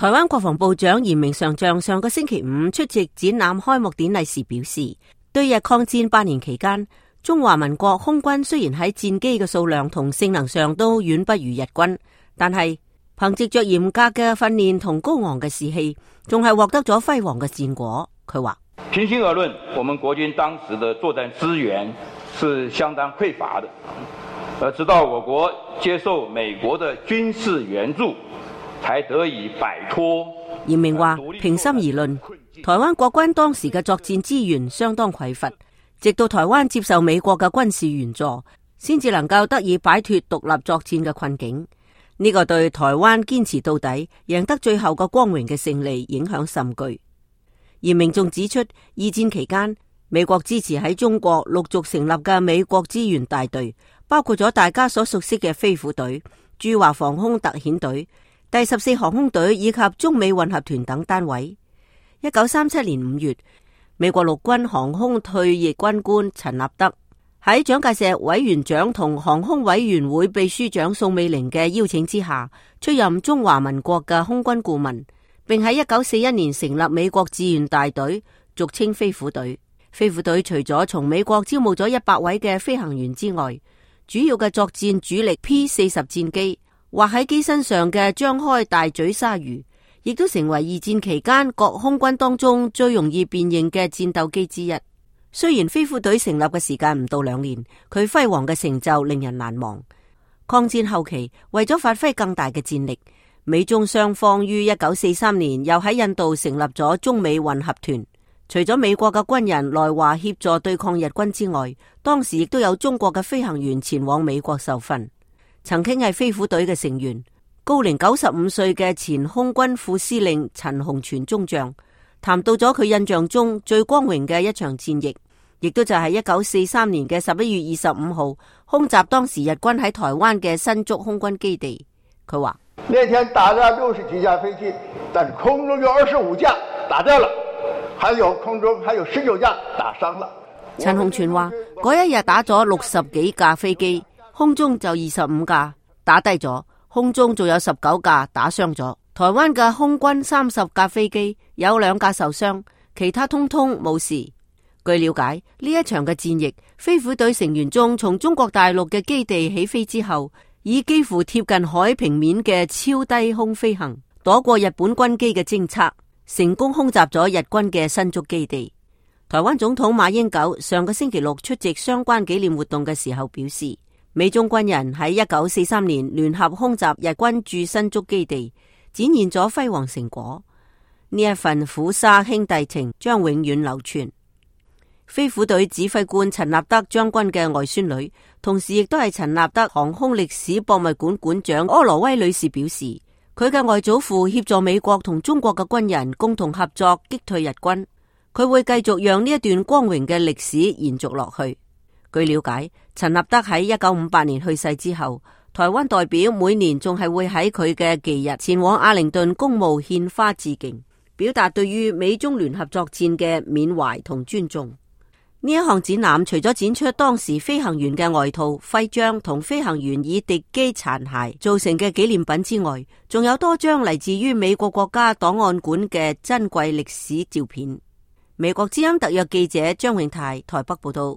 台灣國防部長嚴明上將上個星期五出席展覽開幕典禮時表示，對日抗戰8年期間，中華民國空軍雖然喺戰機嘅數量同性能上都遠不如日軍，但係憑藉着嚴格嘅訓練同高昂嘅士氣，仲係獲得咗輝煌嘅戰果。佢話：平心而論，我們國軍當時的作戰資源是相當匱乏的，直到我國接受美國的軍事援助，才得以擺脫。嚴明話：平心而論，台灣國軍當時嘅作戰資源相當匱乏，直到台灣接受美國嘅軍事援助，先至能夠得以擺脫獨立作戰嘅困境。呢個對台灣堅持到底、贏得最後嘅光榮嘅勝利影響甚巨。嚴明仲指出，二戰期間，美國支持喺中國陸續成立嘅美國支援大隊，包括咗大家所熟悉嘅飛虎隊、駐華防空特遣隊、第14航空隊以及中美混合團等單位。1937年5月，美國陸軍航空退役軍官陳立德喺蔣介石委員長同航空委員會秘書長宋美齡嘅邀請之下，出任中華民國嘅空軍顧問，並喺1941年成立美國志願大隊，俗稱飛虎隊。飛虎隊除咗從美國招募咗100位嘅飛行員之外，主要嘅作戰主力 P-40 戰機，或喺機身上嘅張開大嘴鯊魚，亦都成為二戰期間各空軍當中最容易辨認嘅戰鬥機之一。雖然飛虎隊成立嘅時間唔到2年，佢輝煌嘅成就令人難忘。抗戰後期，為咗發揮更大嘅戰力，美中雙方於1943年又喺印度成立咗中美混合團。除咗美國嘅軍人來華協助對抗日軍之外，當時亦都有中國嘅飛行員前往美國受訓。曾經係飛虎隊嘅成員，高齡95歲嘅前空軍副司令陳鴻全中將，談到咗佢印象中最光榮嘅一場戰役，亦都就係1943年嘅11月25號空襲當時日軍喺台灣嘅新竹空軍基地。佢話：那天打了60幾架飛機，但空中有25架打掉了，空中還有19架打傷了。陳鴻全話：嗰一日打咗60幾架飛機，空中就25架打低咗，空中仲有19架打傷咗。台灣嘅空軍30架飛機有2架受傷，其他通通冇事。據了解，呢一場嘅戰役，飛虎隊成員中從中國大陸嘅基地起飛之後，以幾乎貼近海平面嘅超低空飛行，躲過日本軍機嘅偵測，成功空襲咗日軍嘅新竹基地。台灣總統馬英九上個星期六出席相關紀念活動嘅時候表示，美中軍人喺1943年聯合空襲日軍駐新竹基地，展現咗輝煌成果。呢一份虎沙兄弟情將永遠流傳。飛虎隊指揮官陳立德將軍嘅外孫女，同時亦都係陳立德航空歷史博物館館長柯羅威女士表示，佢嘅外祖父協助美國同中國嘅軍人共同合作擊退日軍，佢會繼續讓呢一段光榮嘅歷史延續落去。據了解，陳立德喺1958年去世之後，台灣代表每年仲係會喺佢嘅忌日前往阿靈頓公墓獻花致敬，表達對於美中聯合作戰嘅緬懷同尊重。呢一項展覽除咗展出當時飛行員嘅外套、徽章同飛行員以敵機殘骸造成嘅紀念品之外，仲有多張嚟自於美國國家檔案館嘅珍貴歷史照片。美國之音特約記者張永泰台北報道。